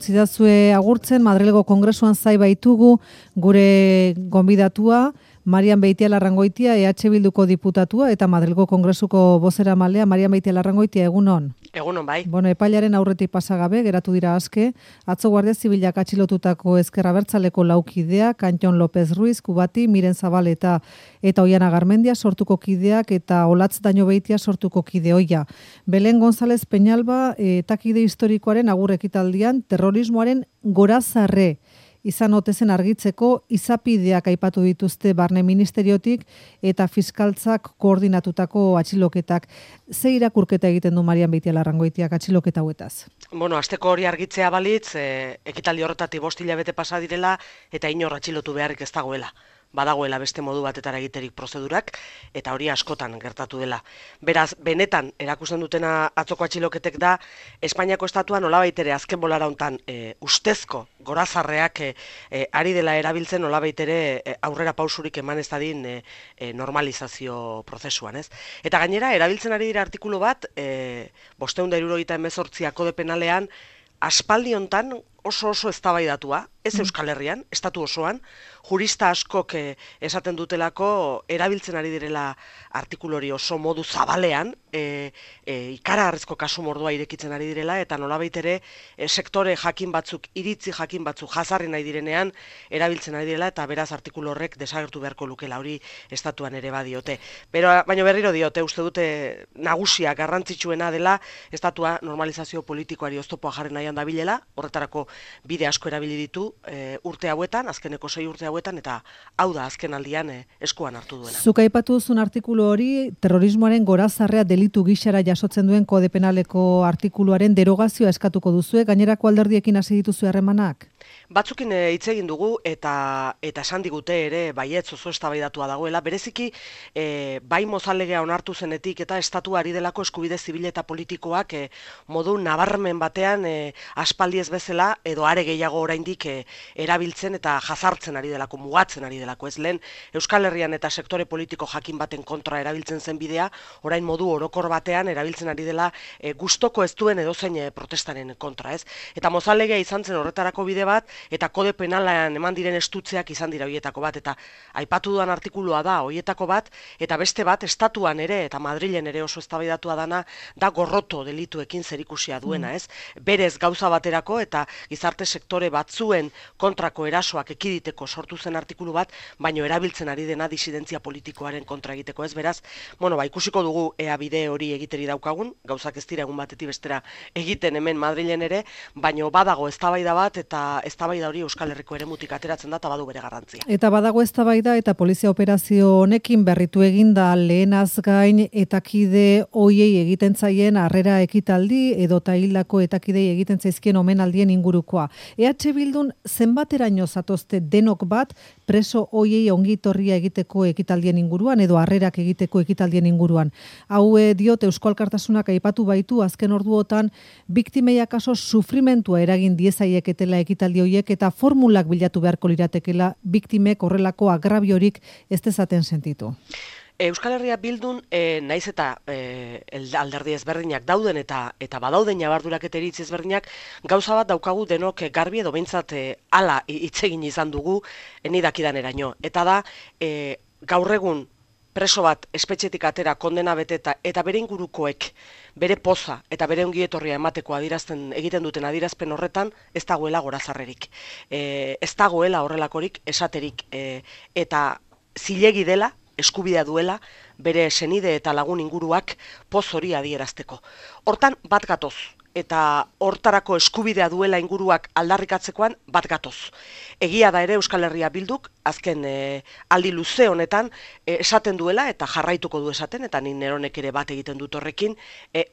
Zidazue agurtzen, Madrilgo Kongresuan zai baitugu gure gonbidatua, Marian Beitialarrangoitia, EH Bilduko diputatua, eta Madrilgo Kongresuko bozeramalea, Marian Beitialarrangoitia, egunon. Egunon bai. Epailaren aurretik pasagabe, geratu dira aske, atzo Guardia Zibilak atxilotutako Ezker Abertzaleko laukideak, Antxon López Ruiz, Kubati, Miren Zabal eta Oiana Garmendia sortuko kideak, eta Olatz Daño Beitia sortuko kide oia. Belen González Peñalba, etakide historikoaren agur ekitaldian, terrorismoaren gorazarre izan otezen argitzeko izapideak aipatu dituzte Barne Ministeriotik eta fiskaltzak koordinatutako atxiloketak. Ze irakurketa egiten du Marian Beitialarrangoitiak atxiloketa hauetaz? Hasteko hori argitzea balitz, ekitaldi horretatik 5 hilabete pasa direla eta inor atxilotu beharrik ez dagoela. Badagoela beste modu batetara egiterik prozedurak, eta hori askotan gertatu dela. Beraz, benetan erakusten dutena atzoko atxiloketek da, Espainiako estatua nolabait ere azken bolara hontan ustezko gorazarreak ari dela erabiltzen nolabait ere aurrera pausurik eman ez dadin normalizazio prozesuan, ez? Eta gainera, erabiltzen ari dira artikulu bat, 578 kode penalean, aspaldi hontan oso eztabaidatua, ez Euskal Herrian, estatu osoan, jurista askok esaten dutelako erabiltzen ari direla artikulu hori oso modu zabalean, ikaragarrizko kasu mordua irekitzen ari direla, eta nolabait ere sektore jakin batzuk, iritzi jakin batzuk jazarri nahi direnean erabiltzen ari direla, eta beraz artikulu horrek desagertu beharko lukela, hori estatuan ere badiote. Baina berriro diote, uste dute nagusia garrantzitsuena dela, estatua normalizazio politikoari oztopoa jarri nahian dabilela, horretarako bide asko erabili ditu urte hauetan, azkeneko 6 urte hauetan, eta hau da azken aldian eskuan hartu duena. Zuk aipatu duzun artikulu hori, terrorismoaren gorazarrea delitu gixara jasotzen duen kode penaleko artikuluaren derogazioa eskatuko duzue, gainerako alderdiekin hasi dituzu harremanak? Batzukin hitz egin dugu eta esan digute ere baietz oso eztabaidatua dagoela, bereziki bai Mozalegea onartu zenetik eta estatua ari delako eskubide zibil eta politikoak modu nabarmen batean aspaldi ez bezala edo are gehiago oraindik erabiltzen eta jazartzen ari delako, mugatzen ari delako, ez lehen Euskal Herrian eta sektore politiko jakin baten kontra erabiltzen zen bidea, orain modu orokor batean erabiltzen ari dela gustoko ez duen edozein protestaren kontra, ez? Eta Mozalegea izan zen horretarako bide bat, eta kode penalean eman diren estutzeak izan dira hoietako bat, eta aipatu dudan artikulua da hoietako bat, eta beste bat estatuan ere eta Madrilen ere oso eztabaidatua dana da gorroto delituekin zerikusia duena, ez? Berez gauza baterako eta gizarte sektore batzuen kontrako erasoak ekiditeko sortu zen artikulu bat, baino erabiltzen ari dena disidentzia politikoaren kontra egiteko, ez? Beraz, ikusiko dugu ea bide hori egiteri daukagun, gauzak ez dira egun batetik bestera egiten hemen Madrilen ere, baino badago eztabaida bat eta eztabaida hori Euskal Herriko eremutik ateratzen da eta badu bere garrantzia. Eta badago eztabaida eta polizia operazio honekin berritu eginda lehenaz gain etakide hoiei egiten zaien harrera ekitaldi edo hildako etakidei egiten zaizkien omenaldien ingurukoa. EH Bildun zenbateraino zatozte denok bat preso hoiei ongitorria egiteko ekitaldien inguruan edo harrerak egiteko ekitaldien inguruan. Hau diot Eusko Alkartasunak aipatu baitu azken orduotan biktimei akaso sufrimentua eragin diezaieketela ekitaldi hoiek eta formulak bilatu beharko liratekela biktimek horrelako agrabiorik ez dezaten sentitu. Euskal Herria Bildun, naiz eta alderdi ezberdinak dauden eta badauden ñabardurak eta iritzi ezberdinak, gauza bat daukagu denok garbi edo behintzat hala hitz egin izan dugu eni dakidaneraino. Eta da, gaur egun preso bat espetxetik atera kondena beteta eta bere ingurukoek bere poza eta bere ongietorria emateko egiten duten adierazpen horretan ez dagoela gorazarrerik. Ez dagoela horrelakorik esaterik eta zilegi dela, eskubidea duela, bere senide eta lagun inguruak poz hori adierazteko. Hortan bat gatoz, eta hortarako eskubidea duela inguruak aldarrikatzekoan bat gatoz. Egia da ere Euskal Herria Bilduk, azken aldi luze honetan, esaten duela eta jarraituko du esaten, eta ni neronek ere bat egiten dut horrekin,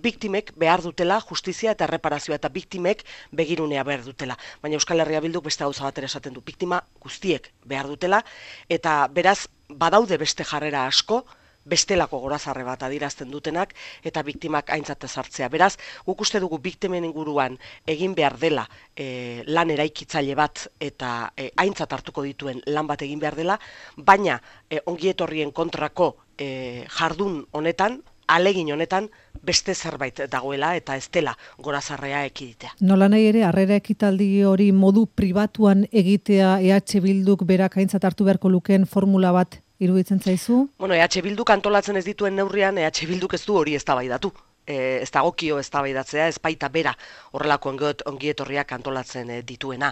biktimek behar dutela justizia eta erreparazioa eta biktimek begirunea behar dutela. Baina Euskal Herria Bilduk beste gauza batera esaten du, biktima guztiek behar dutela, eta beraz badaude beste jarrera asko, bestelako gorazarre bat adierazten dutenak eta biktimak aintzat ezartzea. Beraz, guk uste dugu biktimen inguruan egin behar dela lan eraikitzaile bat eta aintzat hartuko dituen lan bat egin behar dela, baina ongietorrien kontrako jardun honetan, alegin honetan beste zerbait dagoela eta ez dela gorazarrea ekiditea. Nola nahi ere, harrera ekitaldi hori modu pribatuan egitea EH Bilduk berak aintzat hartu beharko lukeen formula bat iruditzen zaizu? Bueno, EH Bilduk antolatzen ez dituen neurrian, EH Bilduk ez du hori eztabaidatu. Ez dagokio eztabaidatzea, ez baita bera horrelako ongietorriak antolatzen dituena.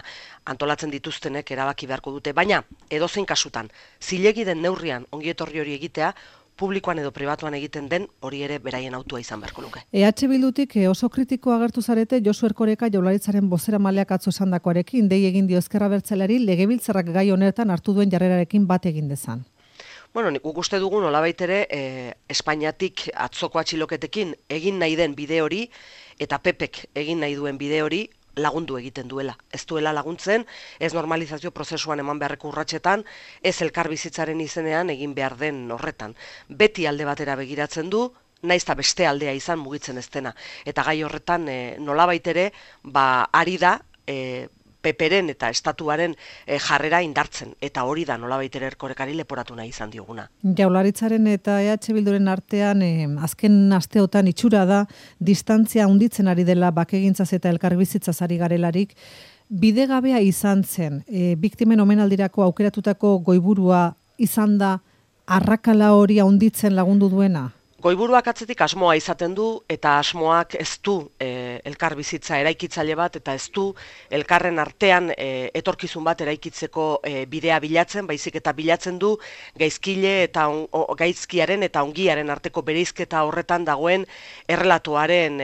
Antolatzen dituztenek erabaki beharko dute, baina edozein kasutan, zilegi den neurrian ongietorri hori egitea, publikoan edo pribatuan egiten den hori ere beraien autua izan beharko luke. EH Bildutik oso kritiko agertu zarete Josu Erkoreka Jaurlaritzaren bozeramaileak atzo esandakoarekin, dei egin dio Ezker Abertzaleari legebiltzarrak gai honetan hartu duen jarrerarekin bat egin dezan. Bueno, nik uste dugu nolabait ere Espainiatik atzoko atxiloketekin egin nahi den bide hori eta PPek egin nahi duen bide hori lagundu egiten duela. Ez duela laguntzen, ez normalizazio prozesuan eman beharreko urratsetan, ez elkarbizitzaren izenean egin behar den horretan. Beti alde batera begiratzen du, naizta beste aldea izan mugitzen ez dena. Eta gai horretan nolabait ere, ari da PPren eta estatuaren jarrera indartzen, eta hori da nolabait ere Erkorekari leporatu nahi izan dioguna. Jaurlaritzaren eta EH Bilduren artean azken asteotan itxura da distantzia handitzen ari dela bakegintzaz eta elkarbizitzaz ari garelarik. Bidegabea izan zen, biktimen omenaldirako aukeratutako goiburua izan da arrakala hori handitzen lagundu duena? Goiburuak atzetik asmoa izaten du, eta asmoak ez du elkarbizitza eraikitzaile bat, eta ez du elkarren artean etorkizun bat eraikitzeko bidea bilatzen, baizik eta bilatzen du gaizkile eta gaizkiaren eta ongiaren arteko bereizketa horretan dagoen errelatoaren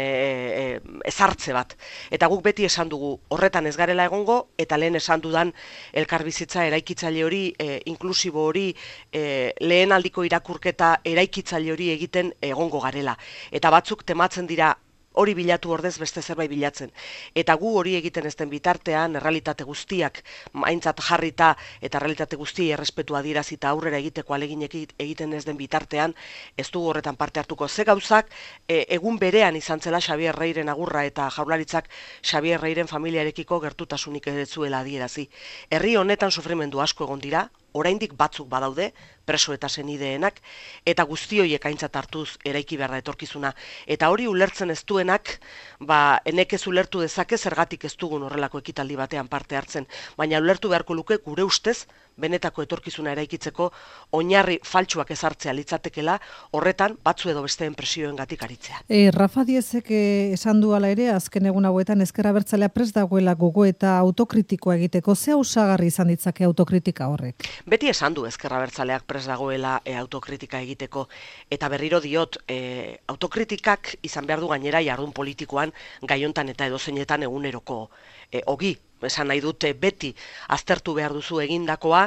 ezartze bat. Eta guk beti esan dugu horretan ez garela egongo, eta lehen esan dudan elkarbizitza eraikitzaile hori, inklusibo hori, lehen aldiko irakurketa eraikitzaile hori egiten egongo garela. Eta batzuk tematzen dira hori bilatu ordez beste zerbait bilatzen. Eta gu hori egiten ez den bitartean, errealitate guztiak aintzat jarrita eta errealitate guztiei errespetua adierazita aurrera egiteko aleginek egiten ez den bitartean, ez dugu horretan parte hartuko. Ze gauzak, egun berean izan zela Xabier Reiren agurra eta Jaurlaritzak Xabier Reiren familiarekiko gertutasunik ez zuela adierazi. Herri honetan sufrimendu asko egon dira, oraindik batzuk badaude, preso eta senideenak, eta guzti horiek aintzat hartuz eraiki behar da etorkizuna. Eta hori ulertzen ez duenak, enek ez ulertu dezake zergatik ez dugun horrelako ekitaldi batean parte hartzen, baina ulertu beharko luke gure ustez, benetako etorkizuna eraikitzeko oinarri faltsuak ezartzea litzatekela, horretan batzu edo besteen presioengatik aritzea. Rafa Diezek esan du hala ere, azken egun hauetan Ezker Abertzalea prest dagoela gogo eta autokritikoa egiteko. Ze osagarri izan ditzake autokritika horrek? Beti esan du Ezker Abertzaleak prest dagoela autokritika egiteko, eta berriro diot, autokritikak izan behar du gainera jardun politikoan gaiontan eta edozeinetan eguneroko ogi. Esan nahi dute beti aztertu behar duzu egindakoa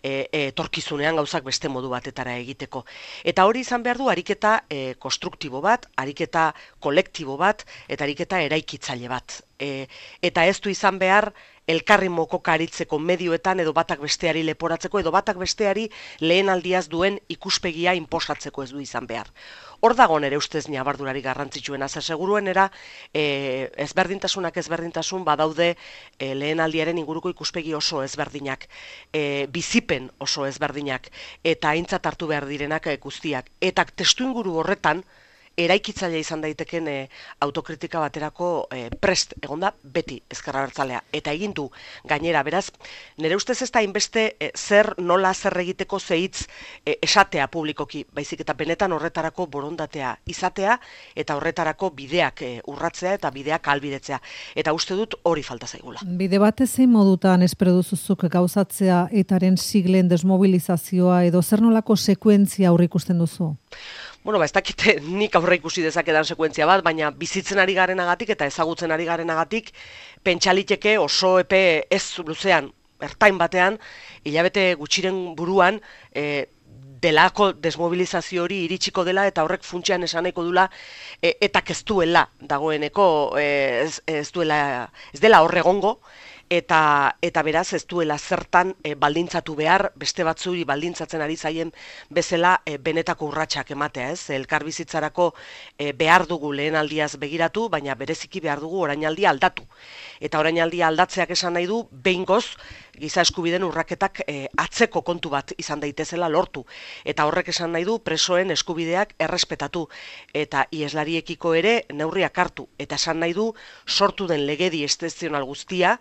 etorkizunean gauzak beste modu batetara egiteko. Eta hori izan behar du ariketa konstruktibo bat, ariketa kolektibo bat, eta ariketa eraikitzaile bat. Eta ez du izan behar elkarri mokoka aritzeko medioetan edo batak besteari leporatzeko edo batak besteari lehen aldiaz duen ikuspegia inposatzeko ez du izan behar. Hor dago nere ustez ñabardurari garrantzitsuena, zer seguruenera ezberdintasunak ezberdintasun badaude lehen aldiaren inguruko ikuspegi oso ezberdinak, bizipen oso ezberdinak, eta aintzat hartu behar direnak guztiak. Eta testu inguru horretan, eraikitzailea izan daiteken autokritika baterako prest egonda beti Ezker Abertzalea. Eta egin du gainera, beraz, nire ustez ez da hainbeste zer nola zer egiteko zehitz esatea publikoki, baizik eta benetan horretarako borondatea izatea eta horretarako bideak urratzea eta bideak ahalbidetzea. Eta uste dut hori falta zaigula. Bide batez zein modutan espero duzuzuk gauzatzea etaren siglen desmobilizazioa edo zer nolako sekuentzia aurreikusten duzu? Bueno, ez dakite nik aurre ikusi dezakedan sekuentzia bat, baina bizitzen ari garenagatik eta ezagutzen ari garenagatik pentsaliteke oso epe ez luzean, ertain batean, hilabete gutxiren buruan, delako desmobilizazio hori iritsiko dela eta horrek funtsean esan nahiko dula eta ez duela dagoeneko ez dela horregongo, eta beraz ez duela zertan baldintzatu behar, beste batzuri baldintzatzen ari zaien bezala benetako urratsak ematea, ez? Elkarbizitzarako behar dugu lehenaldiaz begiratu, baina bereziki behar dugu orainaldia aldatu. Eta orainaldia aldatzeak esan nahi du behingoz giza eskubideen urraketak atzeko kontu bat izan daitezela lortu. Eta horrek esan nahi du presoen eskubideak errespetatu eta ieslariekiko ere neurriak hartu. Eta esan nahi du sortu den legedi excepzional guztia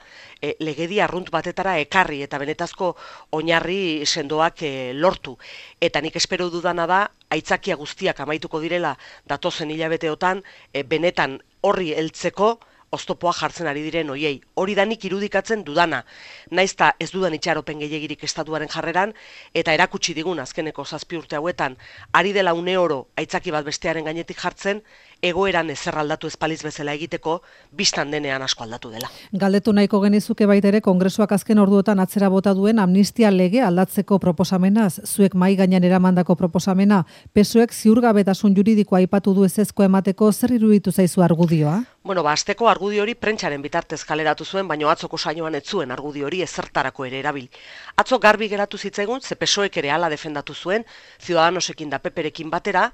legedi arrunt batetara ekarri eta benetazko oinarri sendoak lortu. Eta nik espero dudana da aitzakia guztiak amaituko direla datozen hilabeteotan benetan horri heltzeko oztopoa jartzen ari diren hoiei. Hori da nik irudikatzen dudana. Naizta ez dudan itxaropen gehiegirik estatuaren jarreran, eta erakutsi digun azkeneko 7 urte hauetan, ari dela une oro aitzaki bat bestearen gainetik jartzen, egoeran ezer aldatu espaliz bezala egiteko, bistan denean asko aldatu dela. Galdetu nahiko genizuke baitere Kongresuak azken orduotan atzera bota duen amnistia lege aldatzeko proposamenaz, zuek mahai gainean eramandako proposamena, PSOEk ziurgabetasun juridikoa aipatu du ezezko emateko, zer iruditu zaizu argudioa? Bueno, asteko argudio hori prentsaren bitartez kaleratu zuen, baina atzoko saioan ez zuen argudio hori ezertarako ere erabil. Atzo garbi geratu zitzaigun, ze PSOEk ere hala defendatu zuen, Ciudadanosekin da PPrekin batera,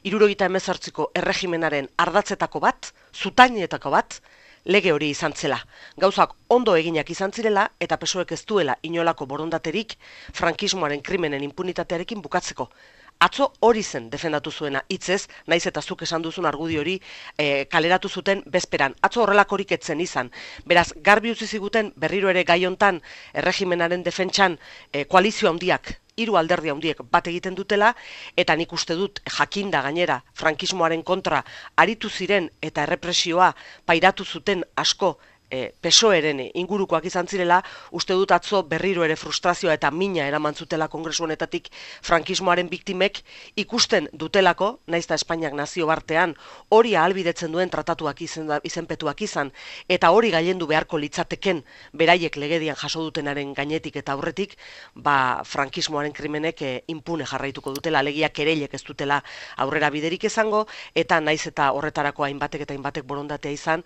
78ko erregimenaren ardatzetako bat, zutainetako bat, lege hori izan zela. Gauzak ondo eginak izan zirela eta PSOEk ez duela inolako borondaterik frankismoaren krimenen impunitatearekin bukatzeko. Atzo hori zen defendatu zuena hitzez, naiz eta zuk esan duzun argudio hori kaleratu zuten bezperan. Atzo horrelakorik etzen izan. Beraz, garbi utzi ziguten berriro ere gai hontan erregimenaren defentsan koalizio handiak, 3 alderdi handiek bat egiten dutela, eta nik uste dut jakinda gainera frankismoaren kontra aritu ziren eta errepresioa pairatu zuten asko PSOEren ingurukoak izan zirela, uste dut atzo berriro ere frustrazioa eta mina eraman zutela Kongresu honetatik frankismoaren biktimek ikusten dutelako, naizta Espainiak nazio bartean hori ahalbidetzen duen tratatuak izenpetuak izan, eta hori gailendu beharko litzateken beraiek legedian jaso dutenaren gainetik eta aurretik, frankismoaren krimenek impune jarraituko dutela, alegia kereilek ez dutela aurrera biderik izango, eta naiz eta horretarako hainbatek eta hainbatek borondatea izan,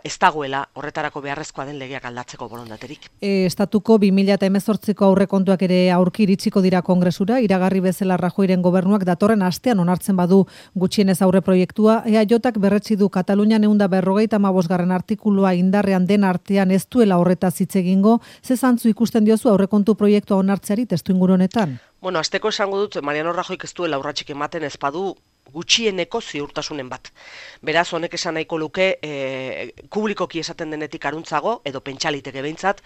ez dagoela horretarako beharrezkoa den legeak aldatzeko borondaterik. Estatuko 2018ko aurrekontuak ere aurki iritsiko dira Kongresura, iragarri bezala Rajoyren gobernuak datorren astean onartzen badu gutxienez aurre proiektua, EAJak berretsi du Katalunian 155. artikulua indarrean den artean ez duela horretaz hitz egingo, ze zantzu ikusten diozu aurrekontu proiektua onartzeari testuinguru honetan? Bueno, asteko esango dut Mariano Rajoyk ez duela urratsik ematen ez badu gutxieneko ziurtasunen bat. Beraz, honek esan nahiko luke publikoki esaten denetik aruntzago, edo pentsaliteke behintzat,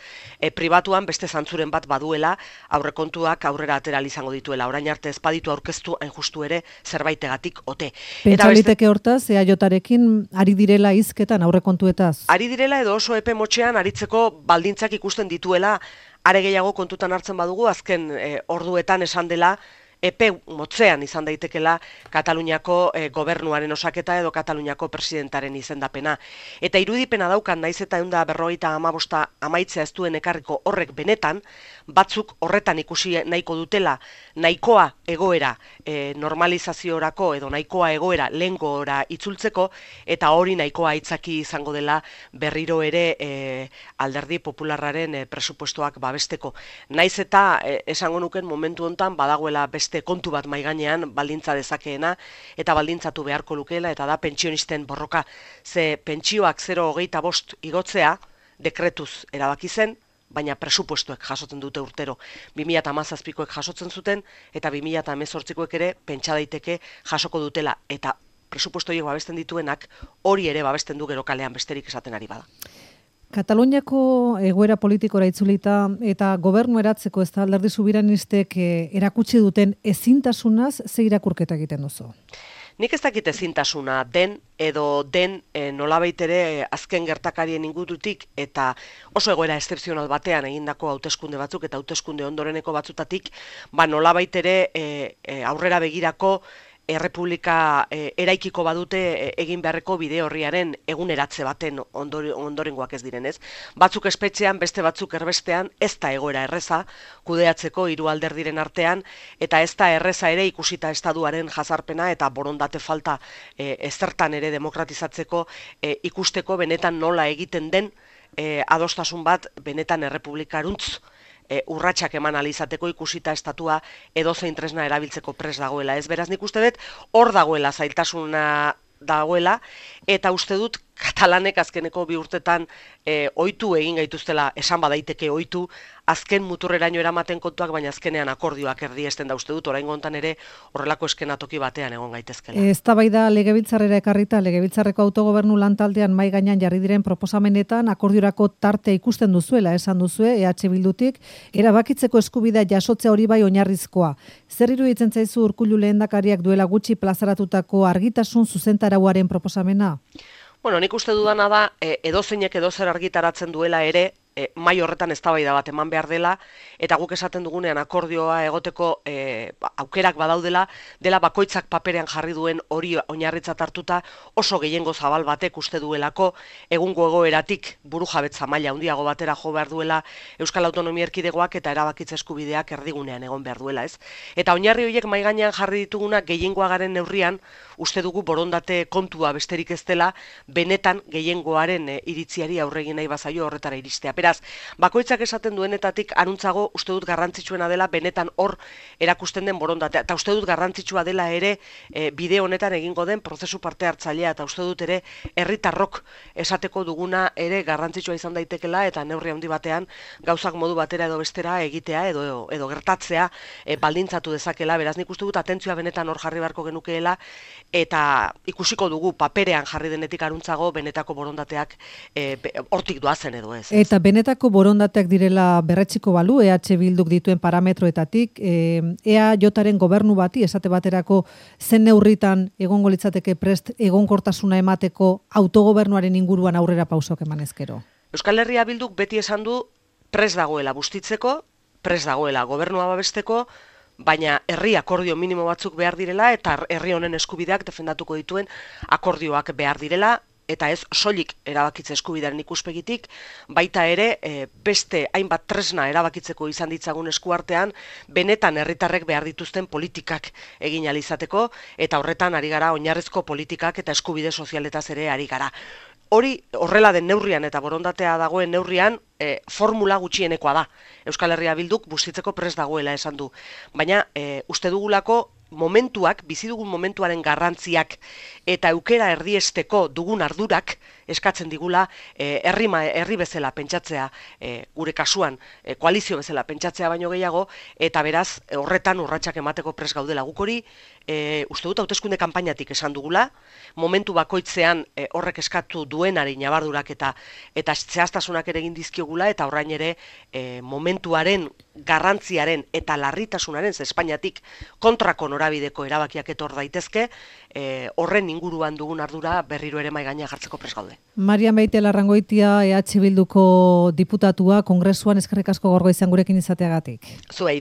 pribatuan beste zantzuren bat baduela aurrekontuak aurrera atera izango dituela. Orain arte ez baditu aurkeztu hain justu ere zerbaitegatik ote. Pentsaliteke hortaz, EAJarekin ari direla hizketan aurrekontuetaz? Ari direla edo oso epe motxean aritzeko baldintzak ikusten dituela, are gehiago kontutan hartzen badugu, azken orduetan esan dela, epe motzean izan daitekela Kataluniako gobernuaren osaketa edo Kataluniako presidentaren izendapena. Eta irudipena daukan naiz eta 155 amaitzea ez duen ekarriko horrek benetan, batzuk horretan ikusi nahiko dutela nahikoa egoera normalizaziorako edo nahikoa egoera lehengora itzultzeko, eta hori nahikoa aitzaki izango dela berriro ere alderdi popularraren presupuestoak babesteko. Naiz eta esango nuken momentu hontan badagoela beste kontu bat maiganean baldintza dezakeena eta baldintzatu beharko lukeela, eta da pentsionisten borroka. Ze pentsioak 0,25 igotzea dekretuz erabaki zen, baina presupuestoek jasotzen dute urtero. 2017koek jasotzen zuten eta 2018koek ere pentsa daiteke jasoko dutela, eta presupuesto horiek babesten dituenak hori ere babesten du gero kalean besterik esaten ari bada. Kataluniako egoera politikora itzulita eta gobernu eratzeko ez da alderdi subiranistek erakutsi duten ezintasunaz ze irakurketa egiten duzu? Nik ez dakit ezintasuna den edo den nolabait ere azken gertakarien ingurutik eta oso egoera excepzional batean egindako hauteskunde batzuk eta hauteskunde ondoreneko batzutatik, nolabait ere aurrera begirako errepublika eraikiko badute egin beharreko bide horriaren eguneratze baten ondorengoak ez direnez. Batzuk espetxean, beste batzuk erbestean, ez da egoera erreza kudeatzeko 3 alderdiren artean, eta ez da erreza ere ikusita estatuaren jazarpena eta borondate falta ezertan ere demokratizatzeko ikusteko benetan nola egiten den adostasun bat benetan errepublikaruntz urratsak eman alizateko ikusita estatua edozein tresna erabiltzeko prest dagoela. Ez beraz nik uste dut hor dagoela zailtasuna dagoela, eta uste dut katalanek azkeneko 2 urtetan ohitu egin gaituztela, esan badaiteke ohitu, azken muturreraino eramaten kontuak, baina azkenean akordioak erdiesten da uste dut, oraingo hontan ere horrelako eskenatoki batean egon gaitezkela. Eztabaida legebiltzarrera ekarrita, legebiltzarreko autogobernu lantaldean mahai gainean jarri diren proposamenetan akordiorako tarte ikusten duzuela, esan duzue, EH Bildutik, erabakitzeko eskubidea jasotzea hori bai oinarrizkoa. Zer iruditzen zaizu Urkullu lehendakariak duela gutxi plazaratutako argitasun zuzentarauaren proposamena? Bueno, nik uste dudana da, edozeinek edozer argitaratzen duela ere, mai horretan eztabaida bat eman behar dela, eta guk esaten dugunean akordioa egoteko aukerak badaudela, dela bakoitzak paperean jarri duen hori oinarritzat hartuta oso gehiengo zabal batek uste duelako, egungo egoeratik burujabetza maila handiago batera jo behar duela Euskal Autonomia Erkidegoak eta erabakitze eskubideak erdigunean egon behar duela, ez? Eta oinarri horiek mahai gainean jarri dituguna gehiengoa garen neurrian, uste dugu borondate kontua besterik ez dela, benetan gehiengoaren iritziari aurregin nahi bazaio horretara iristea. Beraz, bakoitzak esaten duenetatik anuntzago uste dut garrantzitsuena dela benetan hor erakusten den borondatea. Eta uste dut garrantzitsua dela ere bide honetan egingo den prozesu parte hartzailea, eta uste dut ere herritarrok esateko duguna ere garrantzitsua izan daitekela, eta neurri handi batean gauzak modu batera edo bestera egitea edo gertatzea baldintzatu dezakela. Beraz, nik uste dut atentzioa benetan hor jarri beharko genukeela, eta ikusiko dugu paperean jarri denetik aruntzago benetako borondateak hortik doazen edo ez. Eta benetako borondateak direla berretxiko balu, EH Bilduk dituen parametroetatik, EAJaren gobernu bati, esate baterako zen neurritan egongo litzateke prest egonkortasuna emateko autogobernuaren inguruan aurrera pausok eman ezkero. Euskal Herria Bilduk beti esan du prest dagoela bustitzeko, prest dagoela gobernua babesteko, baina herri akordio minimo batzuk behar direla eta herri honen eskubideak defendatuko dituen akordioak behar direla, eta ez soilik erabakitze eskubidearen ikuspegitik, baita ere beste hainbat tresna erabakitzeko izan ditzagun eskuartean, benetan herritarrek behar dituzten politikak egin ahal izateko, eta horretan ari gara oinarrizko politikak eta eskubide sozialetaz ere ari gara. Hori horrela den neurrian eta borondatea dagoen neurrian formula gutxienekoa da. Euskal Herria Bilduk bustitzeko prest dagoela esan du. Baina uste dugulako momentuak, bizi dugun momentuaren garrantziak eta aukera erdiesteko dugun ardurak eskatzen digula herri bezala pentsatzea, gure kasuan koalizio bezala pentsatzea baino gehiago, eta beraz horretan urratsak emateko prest gaudela. Guk hori uste dut hauteskunde kanpainatik esan dugula, momentu bakoitzean horrek eskatu duenari nabardurak eta zehaztasunak ere egin dizkiogula, eta orain ere momentuaren garrantziaren eta larritasunaren Espainiatik kontrako norabideko erabakiak etor daitezke, horren inguruan dugun ardura berriro ere mahai gainean jartzeko prest gaude. Marian Beitialarrangoitia, EH Bilduko diputatua, Kongresuan, eskerrik asko gaurgo izan gurekin izateagatik. Zuei.